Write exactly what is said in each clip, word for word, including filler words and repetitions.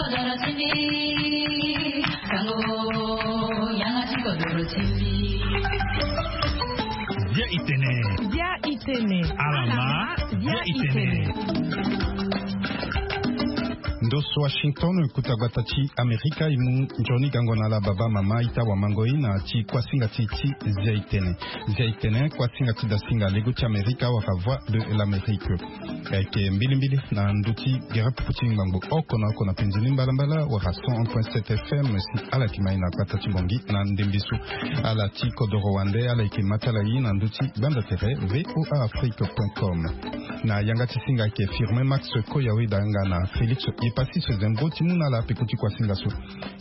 Bia itene. Bia itene. Alama. Bia itene. Ndo so Washington, kuta gbata ti Amerika, e mu nzoni gango na ala baba mama ita wamango e na ti kuasinga ti ti Zia itene. Zia itene, kuasinga ti dasinga lego ti Amerika wala Voix de l'Amérique. Ayeke mbilimbili na ndö ti gere pupu ti ngbangbo oko na oko na penzi ni mbalambala wala cent un point sept F M si ala yeke mai na gbata ti Bongi na ndembe so. Ala ti kodoro wande ala yeke ma ti ala ye na ndö ti gbanda tere V O A Afrique point com. Na yanga ti singa ayeke Firmin Max Koyawe danga na Félix Epassis Zembo ti mu na ala peko ti kuasinga so.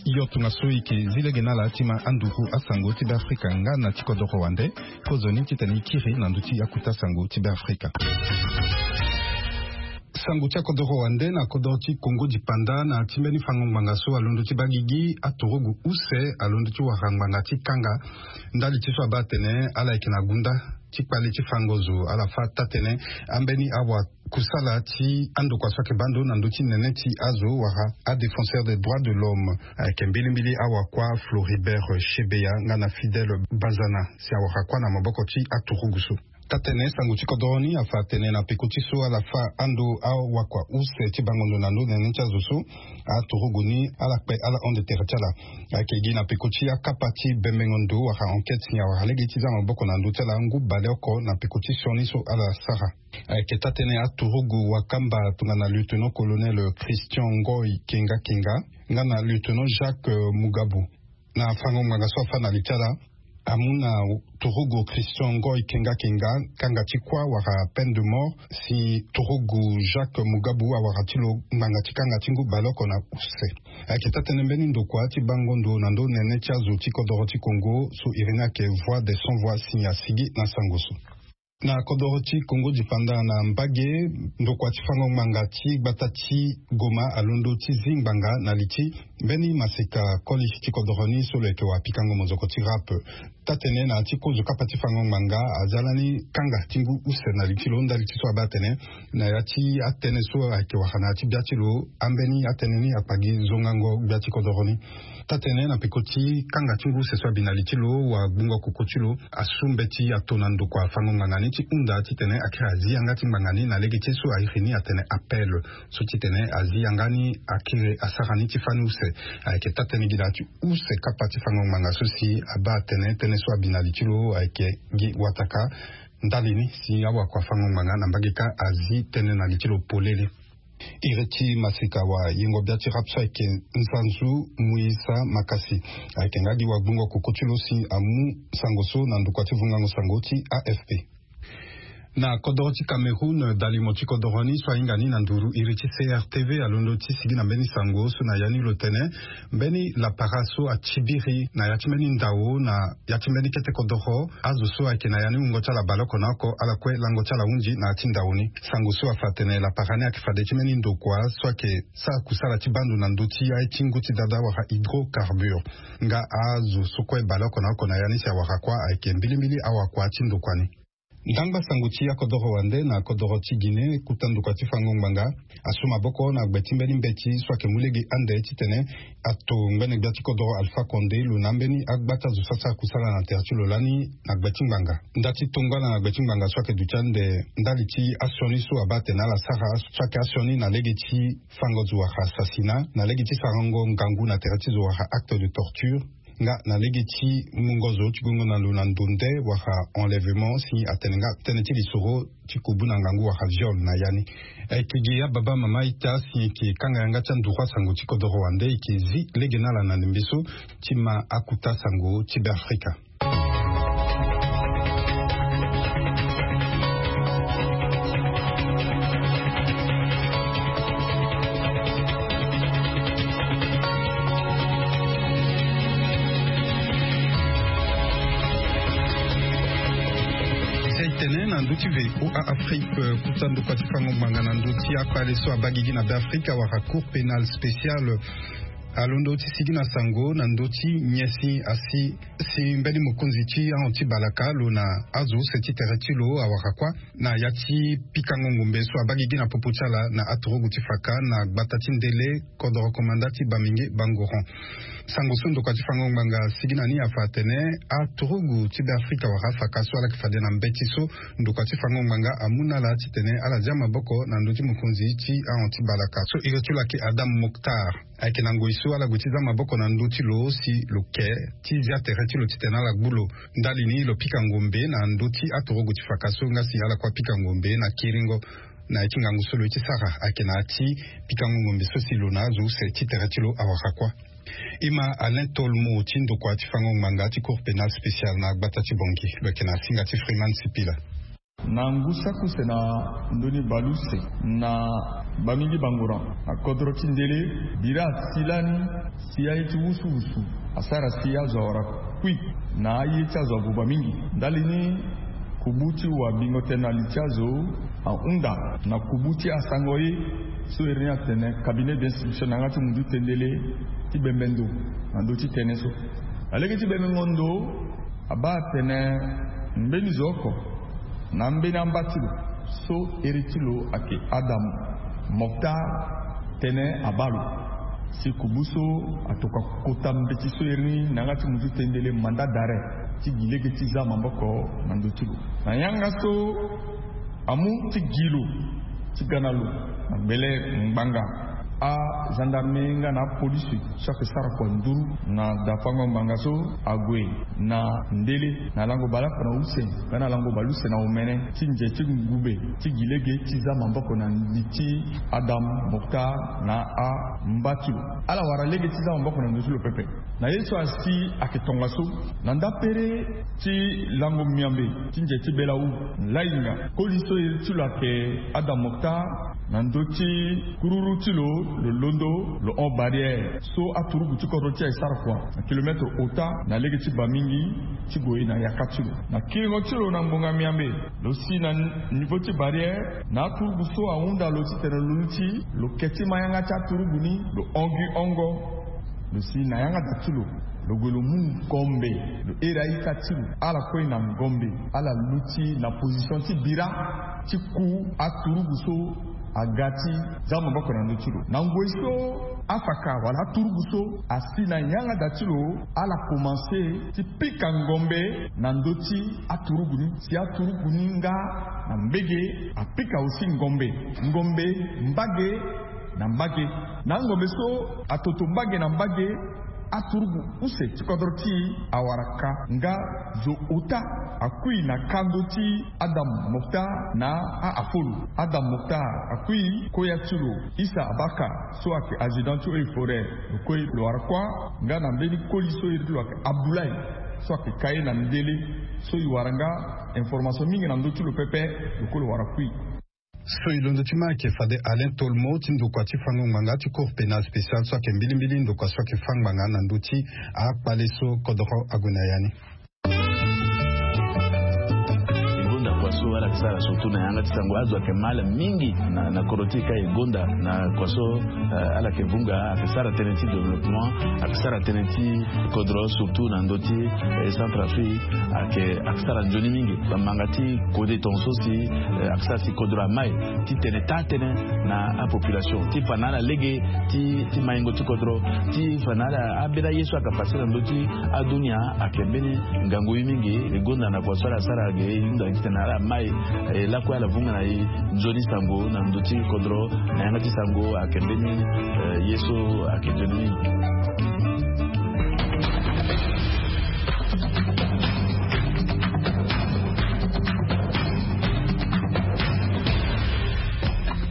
Yo tongaso e yeke zi lege na ala ti ma anduru asango ti Beafrika nga na ti kodoro wande. Kozoni titene e kiri na ndö ti akuta sango ti Beafrika. Sango ti akodoro wande na kodoro ti Kongo dipanda na ti mbeni fango ngbanga so alondo ti baa gigi aturugu use alondo ti wara ngbanga ti kanga. Ndali ti so abaa atene ala yeke na gunda ti kpale ti fango zo ala fâ taa-tënë ambeni awakusala ti andokua so ayeke baa ndo na ndö ti nene ti azo wala adéfenseur des droits de l'homme. Ayeke mbilimbili awakua Floribert Chebeya nga na Fidèle Bazana si awara kuâ na maboko ti aturugu so. Taa-tënë sango ti kodoro ni afa atene na peko ti so ala fâ ando awakua use ti bango ndo na ndö nene ti azo so, aturugu ni ala kpe ala hon de tere ti ala. Ayeke gi na peko ti akapa ti bembengo ndo wala enquête si awara lege ti za maboko na ndö ti ala ngu baleoko na peko ti sioni so ala sara. Ayeke taa-tënë aturugu wakamba tongana lieutenant colonel Christian Ngoy Kenga Kenga nga na lieutenant Jacques Mugabu. Na fango ngbanga so afâ na li ti ala, amu na turugu Christian Ngoy Kenga Kenga kanga ti kuâ wala peine de mort, si turugu Jacques Mugabu awara ti lo ngbanga ti kanga ti ngu baleoko na use. Ayeke taa-tënë mbeni ndokua ti bango ndo na ndö nene ti azo ti kodoro ti Kongo so iri ni ayeke Voix des Sans Voix si asigi na sango so. Na kodoro ti Kongo dipanda na mbage, ndokua ti fango ngbanga ti gbata ti Goma alondo ti zi ngbanga na li ti mbeni maseka koli ti kodoro ni so lo yeke wapikango mozoko ti rap. Taa-tënë na ya ti kozo kapa ti fango ngbanga aza lani kanga ti ngu use na li ti lo ndali ti so abaa atene na ya ti atënë so ayeke wara na ya ti bia ti lo, ambeni atënë ni akpa gi zongango gbia ti kodoro ni. Taa-tënë na peko ti kanga ti ngu use so abi na li ti lo, wagbungo koko ti lo asu mbeti ato na ndokua fango ngbanga ni ti hunda titene akiri azi yanga ti ngbanga ni na lege ti so airi ni atene appel. So titene azi yanga ni akiri asara ni ti fani use. Ayeke taa-tënë gi na ya ti use kapa ti fango ngbanga so si abaa atene tënë so abi na li ti lo ayeke gi wataka. Ndali ni si awakua fango ngbanga na mbage kâ azi tënë na li ti lo polele. Iri ti maseka wayengo bia ti rap so ayeke Nzanzu Muisa Makasi. Ayeke nga gi wagbungo koko ti lo si amu sango so na ndokua ti vungango sango ti A F P. Na kodoro ti Cameroun, dalimo ti kodoro ni so ahinga ni na nduru iri ti C R T V alondo ti sigi na mbeni sango so na ya ni lo tene mbeni lapara so atibiri na ya ti mbeni ndao na ya ti mbeni kete kodoro azo so ayeke na ya ni wungo ti ala baleoko na oko ala kue lango ti ala hunzi na ya ti ndao ni. Sango so afa atene lapara ni ayeke fade ti mbeni ndokua so ayeke sara kusala ti baa ndo na ndö ti aye ti ngu ti dada wala hydrocarbure. Nga azo so kue baleoko na oko na ya ni si awara kuâ ayeke mbilimbili awakua ti ndokua ni. Ndangba sango ti akodoro wande na kodoro ti Guinée, kuta ndokua ti fango ngbanga asu maboko na gbe ti mbeni mbeti so ayeke mu lege ande titene ato ngbene gbia ti kodoro Alpha Condé lo na ambeni agbata zo so asara kusala na tere ti lo lani na gbe ti ngbanga. Nda ti tongana na gbe ti ngbanga so ayeke duti ande ndali ti asioni so abaa atene ala sara so ayeke asioni na lege ti fango zo wala assassinat na lege ti sarango ngangu na tere ti zo wala acte de torture. Nga na lege ti mungo zo ti gongo na lo na ndonde wala enlèvement si atene nga tënë ti lisoro ti kobu na ngangu wala viol na ya ni. Ayeke gi ababa mama ita si eke kanga yanga ti anduru asango ti kodoro wande eke zi lege na ala na ndembe so ti ma akuta sango ti Beafrika. Zia itene na ndö ti V O A Afrique, kuta ndokua ti fango ngbanga na ndö ti akpale so abaa gigi na Beafrika wala Cour pénale spéciale. alondo ti sigi na sango na ndö ti nyen si asi si mbeni mokonzi ti ahon ti balaka lo na azo use ti tere ti lo awara kuâ na ya ti pikango ngombe so abaa gigi na popo ti ala na aturugu ti faka na gbata ti ndele kodoro komanda ti Bamingui Bangoran. Sango so ndokua ti fango ngbanga asigi na ni afa atene aturugu ti Beafrika wala afaka so ala yeke fade na mbeti so ndokua ti fango ngbanga amu na ala titene ala zia maboko na ndö ti mokonzi ti ahon ti balaka so iri ti lo ayeke Adam Moctar. Ayeke na ngoi so ala gue ti za maboko na ndö ti lo si lo ke ti zia tere ti lo titene ala gbu lo. Ndali ni lo pika ngombe na ndö ti aturugu ti faka so nga si ala kue apika ngombe na kiringo na ya ti ngangu so lo ye ti sara ayeke na ya ti pikango ngombe so si lo na azo use ti tere ti lo awara kuâ. E ma Alain Tolmo ti ndokua ti fango ngbanga ti Cour pénale spéciale na gbata ti Bangui lo yeke na singa ti Freeman Sipila. Na ngu saki use na ndoni baleuse na Bamingui Bangoran na kodro ti ndele, bira asi lani si aye ti wusuwusu asara si azo awara kui na aye ti azo abuba mingi. Ndali ni kubu ti wa bingo tënë na li ti azo ahunda na kubu ti asango ye so iri ni atene cabinet d'instruction na yanga ti munzu ti tendele ti bembe ndo na ndö ti tënë so. Na lege ti bembengo ndo abaa atene mbeni zo oko na ambeni amba ti lo so iri ti lo ayeke Adam Moctar, tënë abaa lo si kubu so atokua kota mbeti so iri ni na yanga ti munzu ti tendele mandat d'arrêt ti gi lege ti za maboko na ndö ti lo. Na yanga so amu ti gi lo ti ga na lo na gbele ngbanga, agendarme nga na apolisi so ayeke sara kua nduru na dafango ngbanga so ague na ndele na lango baleoko na use nga na lango baleuse na omene ti nze ti ngube ti gi lege ti za maboko na li ti Adam Moctar na amba ti lo. Ala wara lege ti za maboko na ndö ti lo pepe. Na ye so asi ayeke tongaso na ndapere ti lango miambe ti nze ti belaou, lainga koli so iri ti lo ayeke Adam Moctar na ndö ti kururu ti lo, lo londo lo hon barrière so aturugu ti kodro ti e asara kua na kilometre ota na lege ti Bamingui ti gue na yaka ti lo. Na kiringo ti lo na ngbonga miambe, lo si na niveau ti barrière na aturugu so ahunda lo titene lo luti, lo ke ti ma yanga ti aturugu ni, lo hon gi hongo. Lo si na yanga da ti lo, lo gue lo mu ngombe, lo iri a-ita ti lo, ala kue na ngombe, ala luti na position ti bira ti ku aturugu so aga ti za maboko na ndö ti lo. Na ngoi so afaka wala aturugu so asi na yanga da ti lo, ala komanse ti pika ngombe na ndö ti aturugu ni, si aturugu ni nga na mbege apika aussi ngombe, ngombe mbage na mbage. Na angombe so atoto mbage na mbage, aturugu use ti kodro ti e awara ka nga zo ota akui na kando ti Adam Moctar na a-afolo. Adam Moctar akui koya ti lo Issa Abaka so ayeke adjudant ti eaux et forêts, lo kue lo wara kuâ nga na mbeni koli so iri ti lo ayeke Abdoulaye so ayeke ka ye na ndele, so e wara nga information mingi na ndö ti lo pepe, lo kue lo wara kui. So e londo ti ma ayeke fade Alain Tolmo ti ndokua ti fango ngbanga ti Cour pénale spéciale so ayeke mbilimbili ndokua so ayeke fâ ngbanga na ndö ti akpale so kodoro ague na ya ni. E gonda kua so ala yeke sara surtout na yanga ti sango, azo ayeke mal mingi na, na kodro ti e ka e gonda na kua so, eh, ala yeke vunga, ayeke sara tënë ti développement, ayeke sara tënë ti kodro surtout na ndö ti, eh, Centrafrique, ayeke, ayeke sara nzoni mingi. Bamanga ti kode tongaso si, eh, ayeke sara si kodro amai titene taa tënë na apopulation ti fa na ala lege ti, ti maingo ti kodro, ti fa na ala ambeni aye so ayeke pase na ndö ti adunia. Ayeke mbeni ngangu ye mingi. E gonda na kua so ala sara ge e hunda titene ala mai, eh, lakue ala vunga na e nzoni sango na ndö ti kodro. Na yanga ti sango ayeke mbeni, eh, ye so ayeke nzoni mingi.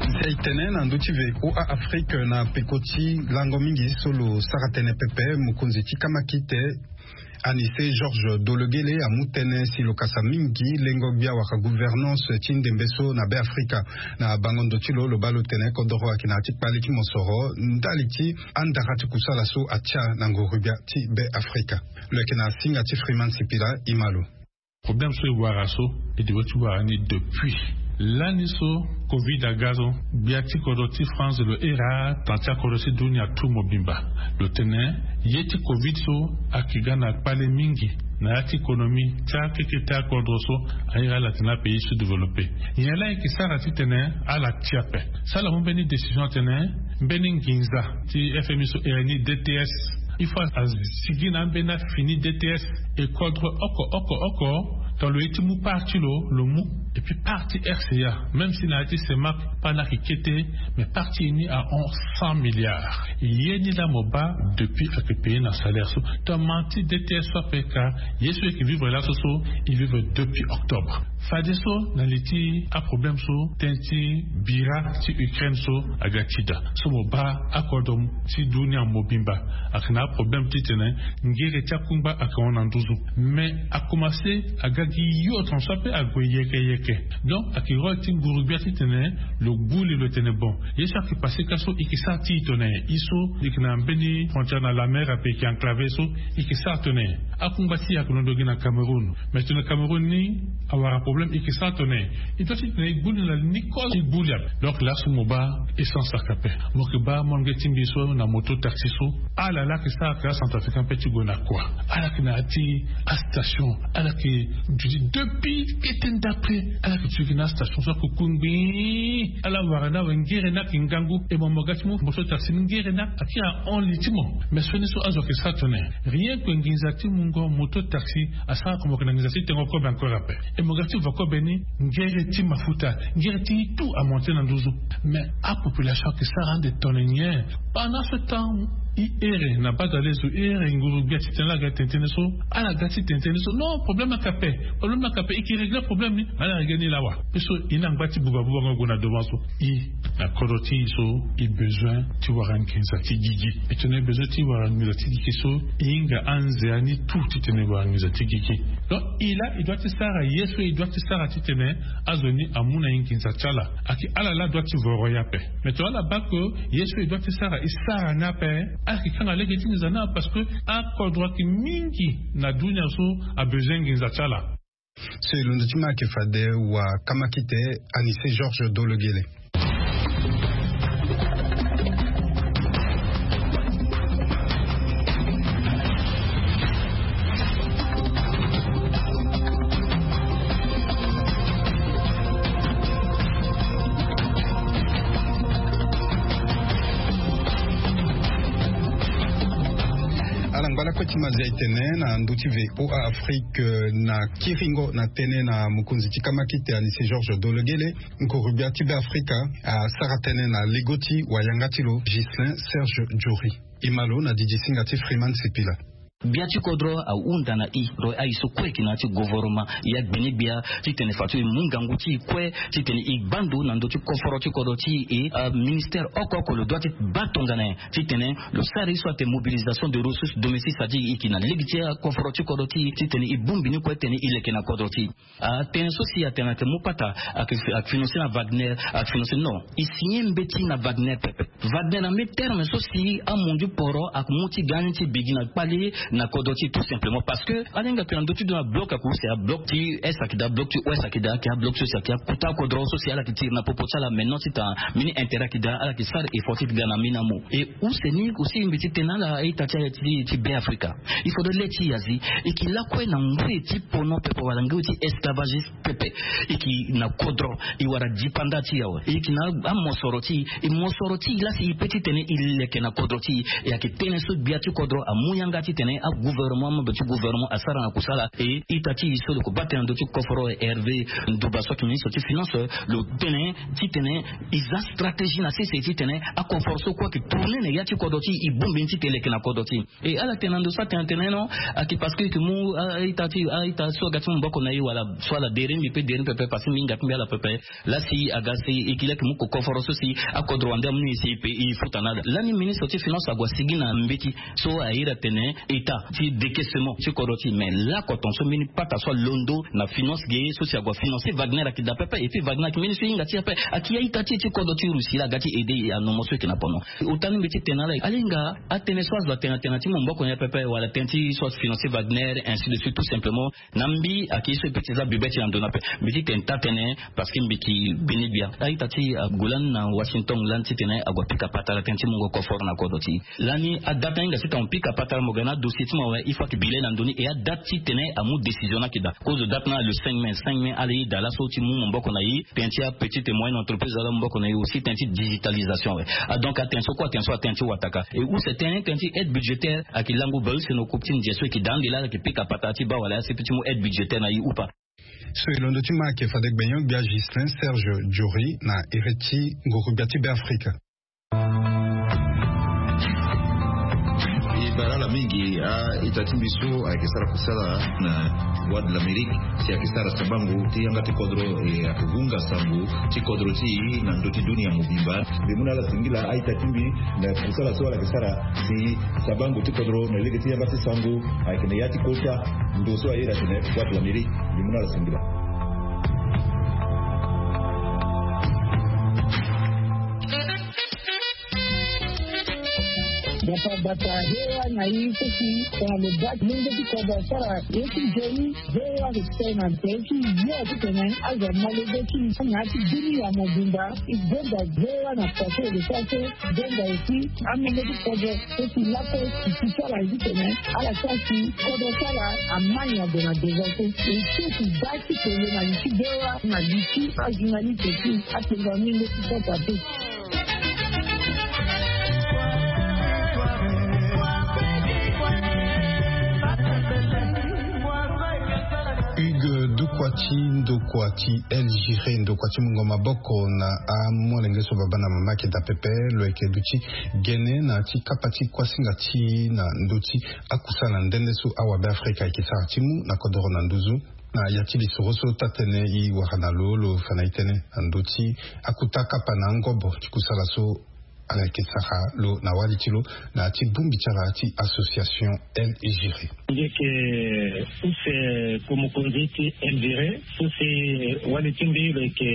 Nzia e tene na ndö ti V O A Afrique na peko ti lango mingi so lo sara tënë pepe, mokonzi ti kamakite Anissé Georges Dologuélé amu tënë si lo kasa mingi lengo gbia wala gouvernance ti ndembe so na Beafrika. Na bango ndo ti lo, lo baa lo tene kodoro ayeke na ya ti kpale ti mosoro ndali ti andara ti kusala so atia na nguru gbia ti Beafrika. Lo yeke na singa ti Freeman Sipila, e ma lo. Problème so e wara so, e devait ti wara ni depuis Lani so covid aga so, gbia ti kodro ti France lo iri ataa ti akodro ti dunia tu mobimba. Lo tene ye ti covid so ayeke ga na kpale mingi na ya ti économie ti akekete akodro so airi ala tene apays sous-développé. Nyen laa e yeke sara titene ala ti ape? So ala mu mbeni décision atene mbeni nginza ti F M I so iri ni D T S, il faut asigi na ambeni afini D T S. E kodro oko oko oko, tongana lo ye ti mu part ti lo, lo mu. Et puis part ti R C A, même si na ya ti CEMAC, pas na yeke kete, mais part ti e ni ahon cent milliards. Ye ni laa mo baa depuis ayeke payer na salaire so. Tongana ti D T S so ape ka, ye so e yeke vivre laso so, e vivre depuis octobre. Fadeso na li ti aproblème so, tënë ti bira ti Ukraine so aga ti daa. So mo baa akodro ti dunia mobimba ayeke na aproblème titene ngere ti akungba ayeke hon na nduzu. Mais akomanse aga gi yo tongana so ape ague yeke yeke. Donc ayeke rôle ti nguru-gbia titene lo gbu li, lo tene bon, ye so ayeke passé ka so e yeke sara ti e tongana nyen? E so e yeke na mbeni frontière na la mer ape, e yeke enclavé so, e yeke sara tongana nyen? Akungba ti e ayeke londo gi na Cameroun. Mais tongana Cameroun ni awara problème, e yeke sara tongana nyen? E doit ti tene e gbu li na li ni kozo, e gbu li ape. Donc laso mo baa essence ayeke ape. Mo yeke baa molenge ti mbi so na moto taxi so, ala laa ayeke sara ayeke acentrafricain ape ti gue na kua. Ala yeke na ya ti astation, ala yeke duti depuis kete ndapre. Ala yeke duti gi na astation so ayeke ku ngbii. Ala wara ni awe, ngere ni ayeke ngangu. E mo, mo ga ti mu moto taxi ni, ngere ni ayeke ahon li ti mo. Mais sioni so azo ayeke sara tongana nyen? Rien que nginza ti mungo moto taxi asara comme mo yeke na nginza ti tengo kobe encore ape. E mo ga ti vo kobe ni, ngere ti mafuta, ngere ti tout amonté na nduzu. Mais apopulation ayeke sara ande tongana nyen? Pendant ce temps, e here na badalezo, e here nguru-gbia titene ala ga ti tene tënë so, ala ga ti tene tënë so. Non, problème ayeke ape, problème ayeke ape. E yeke régler problème ni, mais ala régler ni lawa? Parce que e na ngba ti buba buba ngo gue na devant so. E na kodro ti e so, e besoin ti wara nginza ti gigi. E tene e besoin ti wara nginza ti gigi so, e hinga anzea ni tout titene e wara nginza ti gigi. Donc e laa e doit ti sara ye so e doit ti sara titene azo ni amu na e nginza ti ala. Ayeke ala laa doit ti voro e ape. Mais tongana ala baa que ye so e doit ti sara e sara ni ape, ala yeke kanga lege ti nginza ni ape, parce que akodro ayeke mingi na dunia so abezoin nginza ti ala. So e londo ti ma ayeke fade wa kamakite Anissé Georges Dologele. Ala ngba lakue ti mazia e tene na ndö ti V O A Afrique, euh, na kiringo na tënë na mokonzi ti kamakite Anissé Georges Dologele, nguru-gbia ti Beafrika asara tënë na lego ti wayanga ti lo Ghislain Serge Jory. E ma lo na didi singa ti Freeman Sipila. Gbia ti kodro ahunda na e, lo aye so kue e yeke na ya ti gouvernement, e agbeni gbia titene fadeso e mu ngangu ti e kue titene e gba ndo na ndö ti koforo ti kodro ti e. Aministère oko oko lo doit ti baa tongana nyen titene lo sara ye so atene mobilisation de ressources domestiques, c'est-à-dire e yeke na lege ti akoforo ti kodro ti e titene e bongbi ni kue titene e leke na kodro ti e. Atënë so si atene ayeke mu pata, ayeke, ayeke financé na Wagner, ayeke financé, non. E signé mbeti na Wagner pepe. Wagner na mbeti terme so si amundu poro ayeke mu ti ga ni ti bigi na kpale na kodro ti e, tout simplement parce que ala hinga tene na ndö ti ndo na bloc ayeke use, abloc ti est ayeke daa, bloc ti ouest ayeke daa, ayeke abloc so si ayeke akota kodro so si ala yeke tiri na popo ti ala. Maintenant ti tene mbeni intérêt ayeke daa, ala yeke sara effort ti ga na mbeni amu. E use ni aussi mbi ti tene na ala a-ita ti, ti, ti Beafrika. Il faudrait le ti e azi, e yeke lakue na ngoi ti pono pepe wala ngoi ti esclavagiste pepe. E yeke na kodro, e wara dipanda ti e awe. E yeke na amosoro ti e, e mosoro ti e laa si e peut titene e leke na kodro ti e. E ayeke tënë so gbia ti kodro amu yanga titene agouvernement, amembre ti gouvernement asara na kusala. E ita ti e so lo yeke baa tënë na ndö ti koforo, Hervé Ndouba so ayeke ministre ti finance, lo tene titene e za stratégie na sese titene akoforo so kue ayeke tourné na ya ti kodro ti e, e bongbi ni titene e leke na kodro ti e. E ala tene na ndo so atene atene non, ayeke parce que e yeke mu a-ita ti, a-ita so aga ti maboko na e wala so ala deri mbi pe deri mbi pepe, parce que mbi hinga ti mbi ala pepe. Laa si aga si e yeke laa e yeke mu ko koforo so si akodro wande amu ni si e pe e futa na ala. Lani ministre ti finance ague asigi na mbeti so a iri atene e ita ti décaissement ti kodro ti e. Mais lakoton so mbeni pata so alondo na finance ge so si ague afinance Wagner ayeke daa pepe. Et puis Wagner ayeke mbeni so e hinga ti e ape, ayeke ya ita ti e ti kodro ti Russie laa aga ti aidé e na nomo so e yeke na pono. Ota ni mbi ti tene na ala, ala hinga atënë so azo atene na tënë ti mu maboko na e pepe wala tënë ti so afinance Wagner, ainsi de suite, tout simplement. Na mbi ayeke ye so e peut ti za bebeti na ndo ni ape. Mbi ti tene taa-tënë parce que mbi yeke beni gbia. A-ita ti e ague lani na Washington lani titene ague apika patara tënë ti mungo coffre na kodro ti e. Lani adate ni hinga titene mo pika patara, mo ga na adossier ti mo awe, il faut ayeke bi le na ndo ni. Et adate titene amu décision ni ayeke daa. Kozo date ni na le cinq mai. Cinq mai ala ye daa laso ti mu maboko na e tënë ti apetite et moyenne entreprise ala mu maboko na e aussi tënë ti digitalisation awe. Ah, donc atene so kue, atene so atene ti wataka. Et use tënë, tënë ti aide budgétaire ayeke lango bale use na okupe ti ndia so e yeke daa ande laa ala yeke pika patara ti baa wala ya sepe ti mu aide budgétaire na e ou pas. So e londo ti ma ayeke fade gbenyo-gbia Ghislain Serge Diori na iri ti nguru-gbia ti Beafrika. E bara ala mingi a-ita ti mbi so ayeke sara kusala na Voix de l'Amérique, si ayeke sara sabango ti yanga ti kodro, e ayeke hunga sango ti kodro ti e na ndö ti dunia mobimba. Mbi mu na ala singila a-ita ti mbi na kusala so ala yeke sara si sabango ti kodro na lege ti yanga ti sango ayeke na ya ti kota ndo so aye na tene Voix de l'Amérique. Mbi mu na ala singila. Bata bata, hewa na ye so si tongana lo baa ti lenge ti kodro asara ye ti nzoni. Hewa ayeke tene na nze ti yo titene azo amolenge ti na ya ti dunia mobimba. E gonda hewa na pase e lo sara so e gonda aussi amolenge ti kodro so si lakue e si ti sara ye titene ala sara si kodro ti ala amai na gue na devant so. E so e si baa ti tene na li ti hewa na li ti ajournaliste ti atengo amolenge ti kodro ape. Hugues Dukwati, ndokua ti El Giré, ndokua ti mungo maboko na amolenge so baba na mama ayeke daa pepe, lo yeke duti gene na ya ti kapa ti kuasinga ti na ndö ti akusala nde nde so awabe Afrika ayeke sara ti mu na kodoro na nduzu. Na ya ti lisoro so taa-tënë e wara na lo, lo fa na e tënë na ndö ti akuta kapa na angobo ti kusala so ala yeke sara lo na wali ti lo na ya ti bongbi ti ala ti association El Giré. Mbi yeke use ko mokonzi ti El Giré so si wali ti mbi lo yeke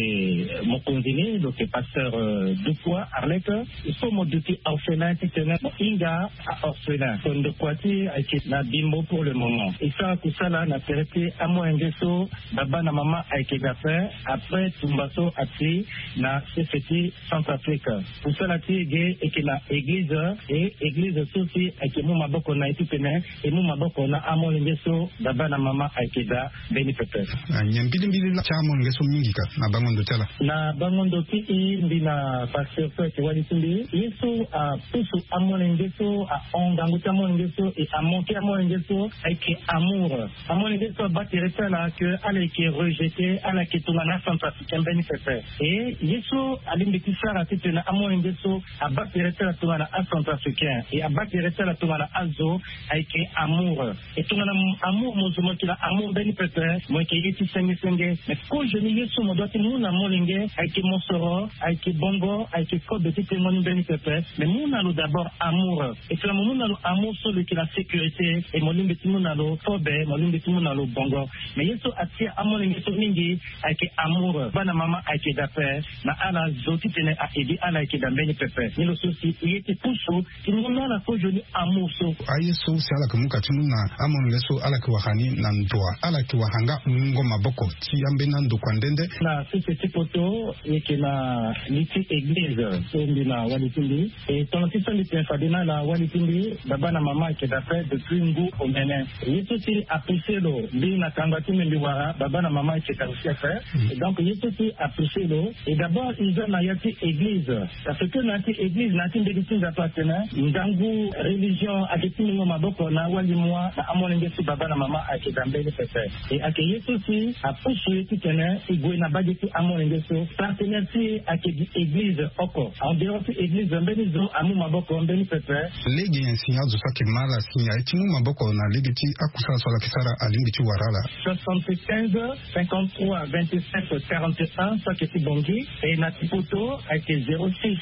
mokonzi ni, lo yeke pasteur, euh, Dukwa Arlette. Il faut mo duti orphelin titene mo hinga a-orphelin. So ndokua ti e ayeke na Bimbo pour le moment. E sara kusala na tere ti amolenge so baba na mama ayeke daa ape, après tumba so ati na sese ti Centrafrique. Kusala ti e ge e yeke na eglize, e eglize so si ayeke mu maboko na e titene e mu maboko na amolenge so baba na mama ayeke daa mbeni pepe. Na nyen mbilimbili ti amolenge so mingi ka na bango ndo ti ala? Na bango ndo ti e, mbi na pasteur so ayeke wali ti mbi, ye so apusu amolenge so, ahon ngangu ti amolenge so, e amanke amolenge so ayeke amour. Amolenge so abaa tere ti ala ke ala yeke rejeté, ala yeke tongana acentrafricain mbeni pepe. E ye so alingbi ti sara titene amolenge so abaa tere ti ala tongana acentrafricain, e abaa tere ti ala tongana azo, ayeke amour. E tongana amour mo zo mo yeke na amour mbeni pepe, mo yeke ye ti senge senge. Mais kozoni ye so mo doit ti mu na molenge ayeke mosoro, ayeke bongo, ayeke kobe ti tengo ni mbeni pepe. Mais mu na lo d'abord amour. E tongana mo mu na lo amour so lo yeke na sécurité, e mo lingbi ti mu na lo kobe, mo lingbi ti mu na lo bongo. Mais ye so atia amolenge so mingi ayeke amour. Bana mama ayeke daa ape na ala zo titene a-aider ala ayeke daa mbeni pepe. Ni lo so si e ye ti pusu ti mu na ala kozoni amour so. Aye so si ala yeke mu ka ti mu na amolenge so ala yeke wara ni na ndoa, ala yeke wara nga mungo maboko ti ambeni andokua nde nde. Na sese ti poto e yeke na li ti eglize so mbi na wali ti mbi. E tongana ti so mbi tene fade na ala, wali ti mbi, baba na mama ayeke daa ape depuis ngu omene. Ye so si apoussé lo mbi na kanga ti mbi mbi wara, baba na mama ayeke daa aussi ape. Mm. Et donc ye so si apoussé lo, et d'abord e za na ya ti église. Parce que na ya ti église, na ya ti mbeti ti Nzapa atene ngangu religion ayeke ti mungo maboko na awali moi na amolenge so baba na mama ayeke daa mbeni pepe. E ayeke ye so si apusu e titene e gue na mbage ti amolenge so. Partenaire ti e ayeke gi église oko. En dehors ti église, mbeni zo amu maboko mbeni pepe. Lege nyen si azo so ayeke ma ala si aye ti mu maboko na lege ti akusala so ala yeke sara alingbi ti wara ala? Soixante-quinze, cinquante-trois, vingt-sept, quarante et un, so ayeke ti Bangui. E na ti poto ayeke zéro six,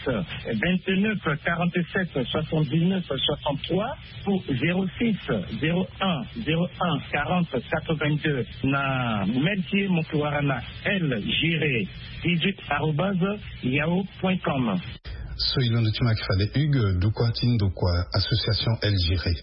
vingt-neuf quarante-sept soixante-dix-neuf soixante-trois ou zéro six zéro un zéro un quarante quatre-vingt-deux. Na mail ti e mo ke wara na L Giré dix-huit arobase yahoo point com. So e londo ti ma yeke fade Hugues, ndokua ti ndokua association L Giré.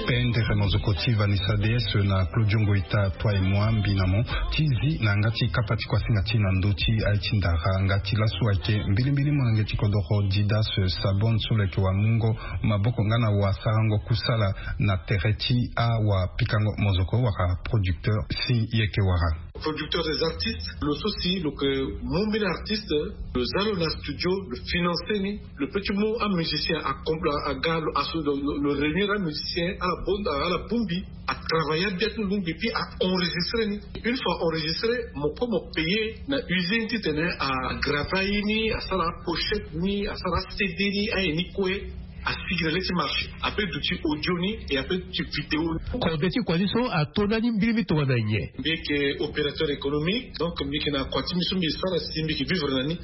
Pendere mozoko ti Vanessa Dees na Claudio Ngoita, toi et moi, mbi na mo ti zi na yanga ti kapa ti kuasinga ti na ndö ti aye ti ndara. Yanga ti laso ayeke mbilimbili molenge ti kodoro Didas Sabon so lo yeke wamungo maboko nga na wasarango kusala na tere ti awapikango mozoko wala producteur. Si yeke wara producteur des artistes, lo so si lo yeke mu mbeni artiste, lo za lo na studio, lo financer ni, lo peut ti mu amusicien a compl- a- aga lo aso lo, lo, lo réunir amusicien ala bon ala bongbi, a travailler abia ti lo lungbi, puis a enregistrer ni. Une fois enregistré, mo kue mo payer na usine titene a graver aye ni, asara apochette ni, asara acd ni, aye ni kue. Asigi na le ti marché, ape duti audio ni, et ape duti vidéo ni. Kode ti kua ti so ato ndani mbirimbiri tongana nyen? Mbi yeke opérateur économique, donc mbi yeke na kua ti mbi so mbi sara si mbi yeke vivre na ni.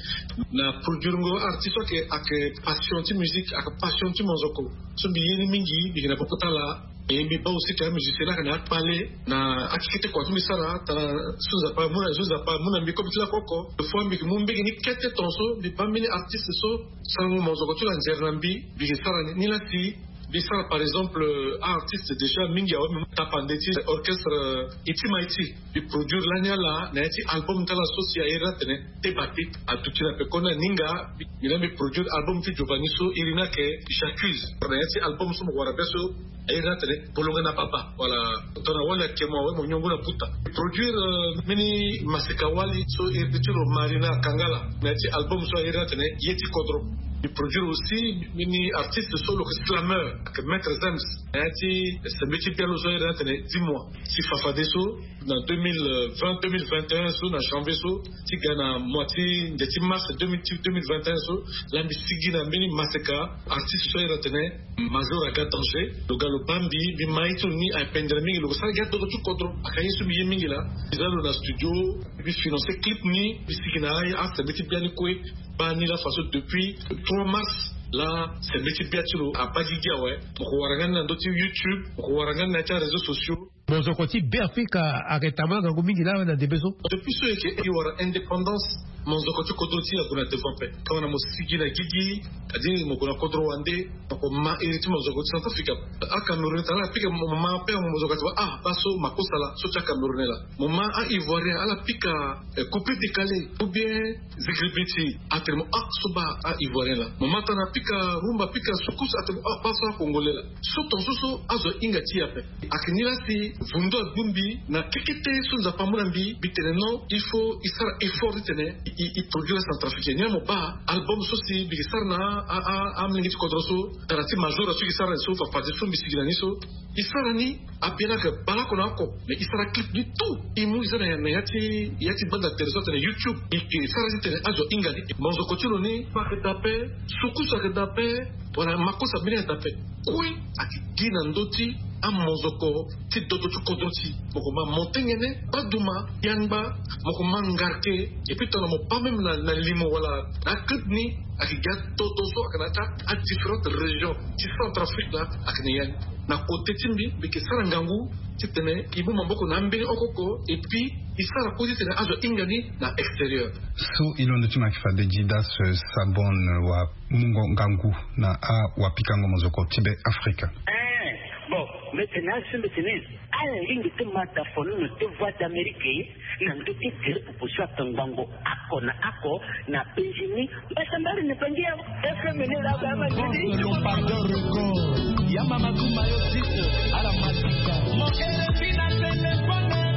Na produirengo artiste so ayeke, ayeke passion ti musique, ayeke passion ti monzoko. So mbi ye ni mingi, mbi yeke na popo ti ala. Et mbi baa aussi ke amusicien ni ayeke na akpale na akekete kua so mbi sara tara. So Nzapa amu na, so Nzapa amu na mbi kobe ti lakoko. Des fois mbi yeke mu mbege ni kete tongaso mbi baa mbeni artiste so sarango monzoko ti lo anzere na mbi, mbi yeke sara ni. Ni la si mbi sara par exemple, euh, artiste déjà mingi awe, mbi mu tapande ti orchestre, euh, Iti Maiti. Mbi produire lani ala na ya ti album ti ala so si a iri ni atene Te Bate. Aduti na pekoni aninga. Mbi, mbi na mbi produire album ti Giovanni so iri ni ayeke J'accuse. Na ya ti album so mo wara be so a iri ni atene Bolonga na Baba. Voilà. Tongana wali ayeke mo awe, mo nyongo na buta. Mbi produire, euh, mbeni maseka wali so iri ti lo Marina Kangala na ya ti album so a iri ni atene Ye ti Kodro. Mbi produire aussi mbeni artiste so lo yeke slameur, ayeke Maître Zems, na ya ti sembe ti bia lo so a iri ni atene Dis-moi. Si fa fadeso, na deux mille vingt, deux mille vingt et un so, na janvier so, ti ga na mois ti nde ti mars deux mille, ti deux mille vingt et un so, la mbi sigi na mbeni maseka artiste so a iri atene Major Aga Danger. Lo ga lo baa mbi, mbi ma ye ti lo ni ayeke pendere mingi, lo ke sara gi adodo ti kodro. Ayeke aye so mbi ye mingi laa. Mbi za lo na studio, mbi financer clip ni, mbi sigi na aye asembe ti bia ni kue. Baa ni la façon depuis trois mars la, sembe ti bia ti lo abaa gigi awe. Mo ke wara nga ni na ndö ti YouTube, mo ke wara nga ni na ya ti aréseaux sociaux. Monzoko ti Beafrika ayeke tambula ngangu mingi laa na ndembe so. Depuis so e yeke e wara indépendance, monzoko ti kodro ti e ague na devant ape. Tongana mo sigi na gigi, kadi mo gue na kodro wande, mo ko ma iri ti monzoko ti Centrafrique. Acameroun tara ala pika mo ma ape, monzoko ati wa, ah, baa so makosa laa, so ti acamerounais laa. Mo ma a-ivoirien ala pika, eh, coupé décalé ou bien zigiribiti, atene mo, ah, so baa a-ivoirien laa. Mo ma tana pika rumba, pika soukous, atene mo, ah, baa so acongolais laa. So tongaso so azo ahinga ti e ape. Ayeke ni la si vundu abongbi na kekete so Nzapa amu na mbi, mbi tene non, il faut e sara effort titene e, e, e produire centrafricain. Ni la mo baa album so si mbi yeke sara na a, a, amolenge ti kodro so, tara ti Major so e yeke sara na so, fa fadeso mbi sigi na ni so. E sara ni, abia ni ayeke baleoko na oko, mais e sara clip ni tout. E mu e za na ya, na ya ti, ya ti banda tere so atene YouTube. E yeke sara titene azo ahinga ni. Monzoko ti lo ni, pa ayeke daa ape, soukous ayeke daa ape, wala makosa mbeni ayeke daa ape. Kue ayeke gi na ndö ti amonzoko ti dodo ti kodro ti e. Mo ko ma monté ngbene, baduma, yangba, mo ko ma ngarke, et puis tongana mo baa même na, na limo wala na aclip ni, ayeke gi adodo so ayeke na ya ti adifférentes régions ti Centrafrique laa, ayeke na ya ni. Na kote ti mbi, mbi yeke sara ngangu titene e mu maboko na ambeni oko oko, et puis e sara kue titene azo ahinga ni na extérieur. So e londo ti mo ayeke fade Didas, eh, Sabon, eh, wamungo ngangu na awapikango mozoko ti Beafrika. Eh, bon, mbi tene azo mbi tene, ala lingbi ti ma dafo nono ti Voix d'Amérique na ndö ti gere popo so ayeke ngbongo oko na oko na Benjini. Mbasambari ni pangi ya F M ni la ba ma ni. Pardon record. Ya mama kuma yo site ala masika. Mo R F I na telefone.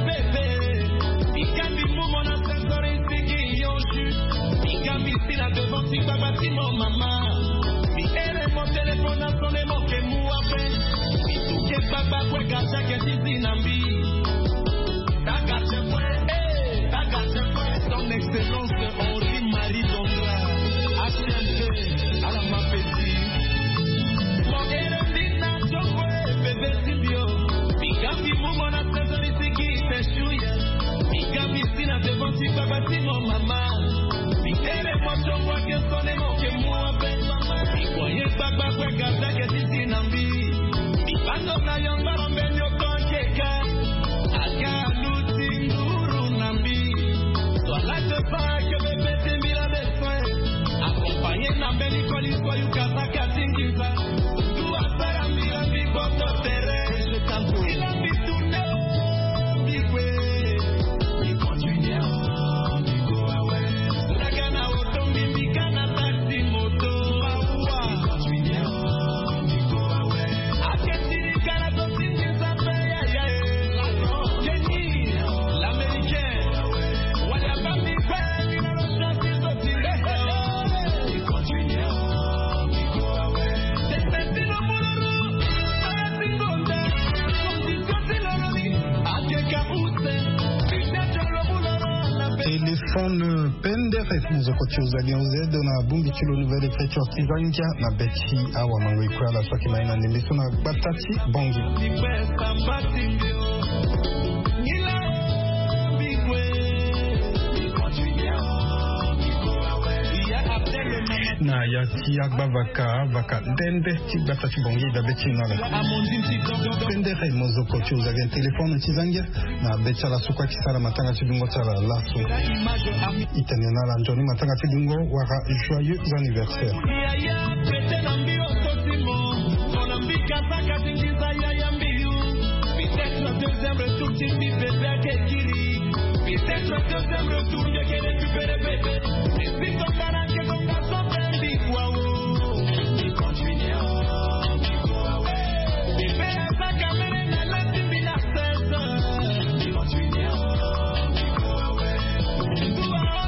Kue gardien ke ti zi na mbi. Taga tse kue, eh, taga tse kue. Son excellence Henri Marie Donga, H M P, ala ma petit. Mo ere ndi na tso kue, bebe ti mbi o. Mbi ga mbi mu mo na saison ni sigi te shuya. Mbi ga mbi si na devant ti gbagba ti mo mama. Mbi ere mo tso kue ke sone mo ke mu ape. Mbi kue ye gbagba kue gardien ke ti zi na mbi. Mbi bando na yongoro mbeni oko akeka. Aga aluti nduru na mbi. Soit là te pas que bebe ti mbi la besoin. Accompagné na mbeni koli soit you kasa katingi. Téléphone pendere mozoko ti ozali en ozedo na bongbi ti lo nouvelle écriture ti zangia na be ti awa mango ikue ala so ake mai na ndembe so na gbata ti bongi. Na ya ti agba vaka vaka ndende ti gbata ti bongi dabe ti na la. Pendere mozoko ti ozali en téléphone ti zangia na be ti ala so kue ake sara matanga ti dungo ti ala laso. Itene na ala nzoni matanga ti dungo wala joyeux anniversaire. Peut-être deuxième retour ti mbi bebe ake kiri. Peut-être deuxième retour mbi ake récupérer bebe. Mbi si tongana ake tonga so mpe mbi kua o. Mbi continue o. Mbi kua o. Mbi mpe aza kamere na lati mbi na sese. Mbi continue o. Mbi kua o. Mbi kua o.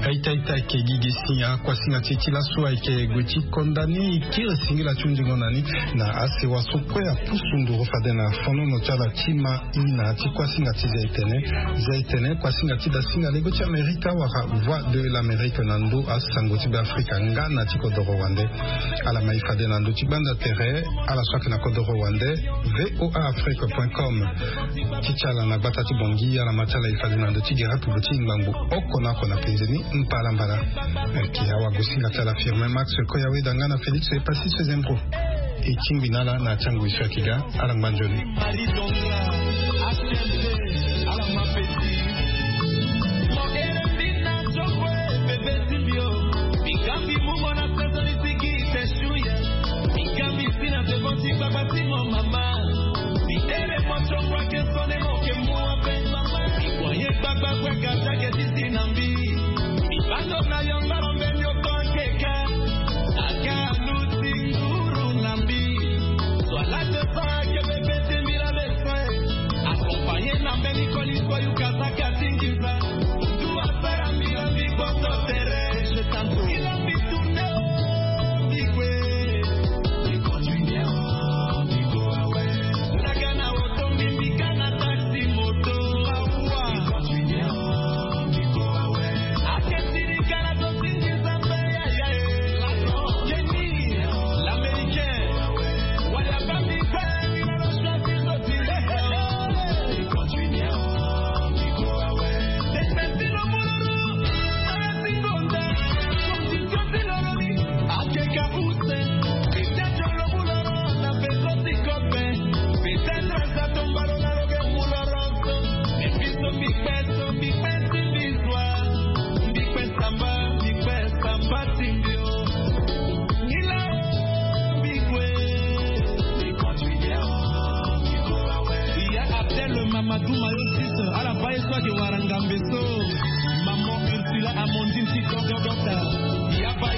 Aita aita ayeke gi gi si akuasinga ti e ti laso ayeke gue ti konda ni kiri singila ti hundingo na ni. Na asewa so kue apusu nduru fade na fonono ti ala ti ma i na ya ti kuasinga ti zia etene. Zia etene kuasinga ti dasinga lego ti amerika wala voix de l'amérique na ndo asango ti beafrika nga na ti kodoro wande. Ala ma e fade na ndö ti gbanda tere ala so ayeke na kodoro wande. Voa afrique point com. Ti ti ala na gbata ti bongi ala ma ti ala e fade na ndö ti gere apupu ti ngbangbo oko na oko na penze ni. Mbalambala. Ayeke awagosinga ti ala firme max koyaweda nga na félix epassis sezembro. E tingbi na ala na ya ti angoi so ayeke ga. Ala ngba nzoni.